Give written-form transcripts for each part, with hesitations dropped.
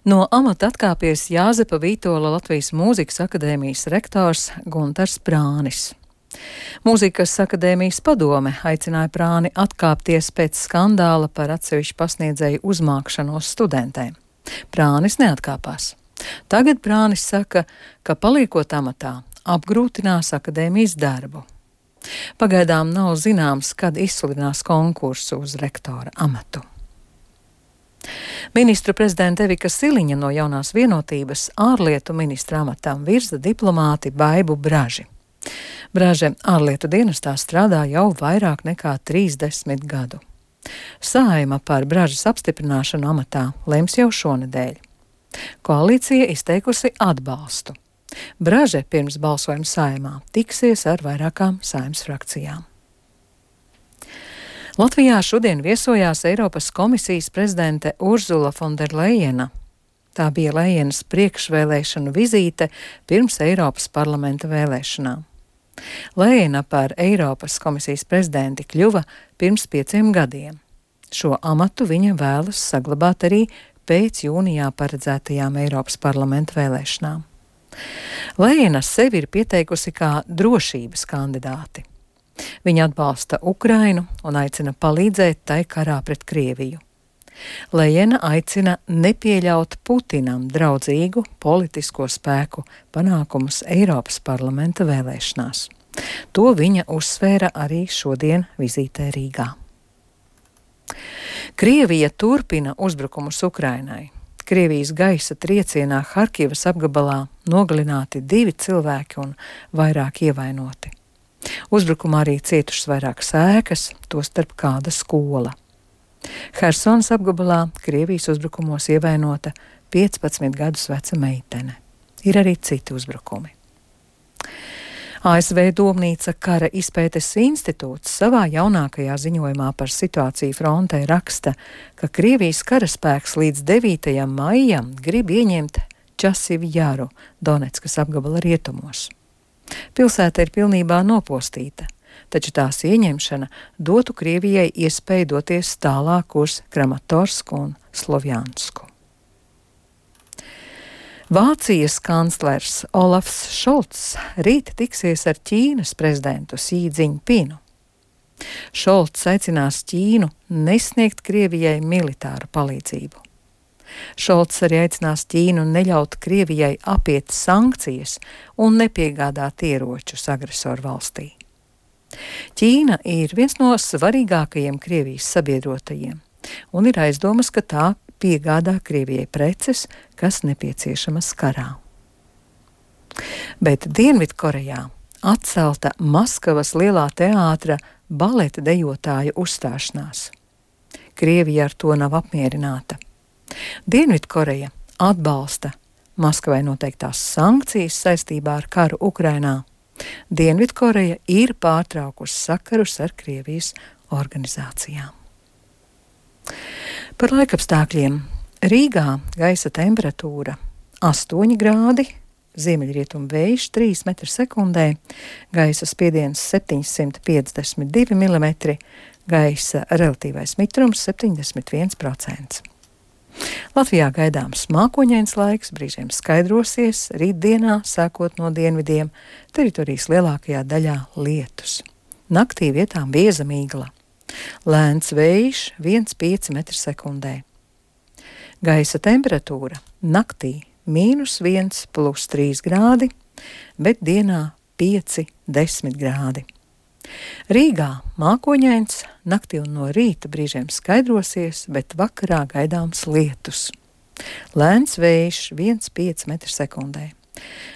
No amata atkāpies Jāzepa Vītola Latvijas Mūzikas akadēmijas rektors Guntars Prānis. Mūzikas akadēmijas padome aicināja Prāni atkāpties pēc skandāla par atsevišķu pasniedzēju uzmākšanos studentēm. Prānis neatkāpās. Tagad Prānis saka, ka paliekot amatā apgrūtinās akadēmijas darbu. Pagaidām nav zināms, kad izsludinās konkursu uz rektora amatu. Ministru prezidenta Evika Siliņa no Jaunās vienotības ārlietu ministra amatām virza diplomāti Baibu Braži. Braže ārlietu dienestā strādā jau vairāk nekā 30 gadu. Saeima par Bražas apstiprināšanu amatā lems jau šonedēļ. Koalīcija izteikusi atbalstu. Braže pirms balsojuma Saeimā tiksies ar vairākām Saeimas frakcijām. Latvijā šodien viesojās Eiropas komisijas prezidente Urzula Fonderlejena. Tā bija Lejenas priekšvēlēšanu vizīte pirms Eiropas parlamenta vēlēšanām. Lejena par Eiropas komisijas prezidenti kļuva pirms 5 gadiem. Šo amatu viņa vēlas saglabāt arī pēc jūnijā paredzētajām Eiropas parlamenta vēlēšanām. Lejena sevi ir pieteikusi kā drošības kandidāti. Viņa atbalsta Ukrainu un aicina palīdzēt tai karā pret Krieviju. Lejena aicina nepieļaut Putinam draudzīgu politisko spēku panākumus Eiropas parlamenta vēlēšanās. To viņa uzsvēra arī šodien vizītē Rīgā. Krievija turpina uzbrukumus Ukrainai. Krievijas gaisa triecienā Harkivas apgabalā nogalināti 2 cilvēki un vairāk ievainoti. Uzbrukumā arī cietušas vairākas ēkas, tostarp kāda skola. Hersonas apgabalā Krievijas uzbrukumos ievainota 15 gadus veca meitene. Ir arī citi uzbrukumi. ASV Domnīca kara izpētes institūts savā jaunākajā ziņojumā par situāciju frontē raksta, ka Krievijas karaspēks līdz 9. maijam grib ieņemt Časivu Jaru, Donetskas apgabala rietumos. Pilsēta ir pilnībā nopostīta, taču tās ieņemšana dotu Krievijai iespēju doties tālāk uz Kramatorsku un Slovjansku. Vācijas kanclers Olafs Šolts rīt tiksies ar Ķīnas prezidentu Sī Dziņpinu. Šolts aicinās Ķīnu nesniegt Krievijai militāru palīdzību. Šolts arī aicinās Ķīnu neļaut Krievijai apiet sankcijas un nepiegādāt ieročus agresoru valstī. Ķīna ir viens no svarīgākajiem Krievijas sabiedrotajiem, un ir aizdomas, ka tā piegādā Krievijai preces, kas nepieciešamas karā. Bet Dienvidkorejā atcelta Maskavas Lielā teātra baleta dejotāju uzstāšanās. Krievija ar to nav apmierināta. Dienvidkoreja atbalsta Maskavai noteiktās sankcijas saistībā ar karu Ukrainā. Dienvidkoreja ir pārtraukusi sakarus ar Krievijas organizācijām. Par laikapstākļiem. Rīgā gaisa temperatūra 8 grādi, ziemeļrietumu vējš 3 metri sekundē, gaisa spiediens 752 mm, gaisa relatīvais mitrums 71%. Latvijā gaidāms mākoņains laiks, brīžiem skaidrosies, rītdienā, sākot no dienvidiem, teritorijas lielākajā daļā lietus. Naktī vietām bieza migla. Lēns vējš 1,5 metri sekundē. Gaisa temperatūra naktī -1 + 3 grādi, bet dienā 5–10 grādi. Rīgā mākoņains, naktī un no rīta brīžiem skaidrosies, bet vakarā gaidāms lietus. Lēns vējš 1,5 metri sekundē.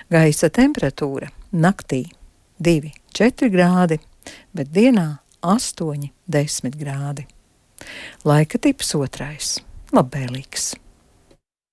Gaisa temperatūra naktī 2–4 grādi, bet dienā 8–10 grādi. Laika tips 2. Labvēlīgs.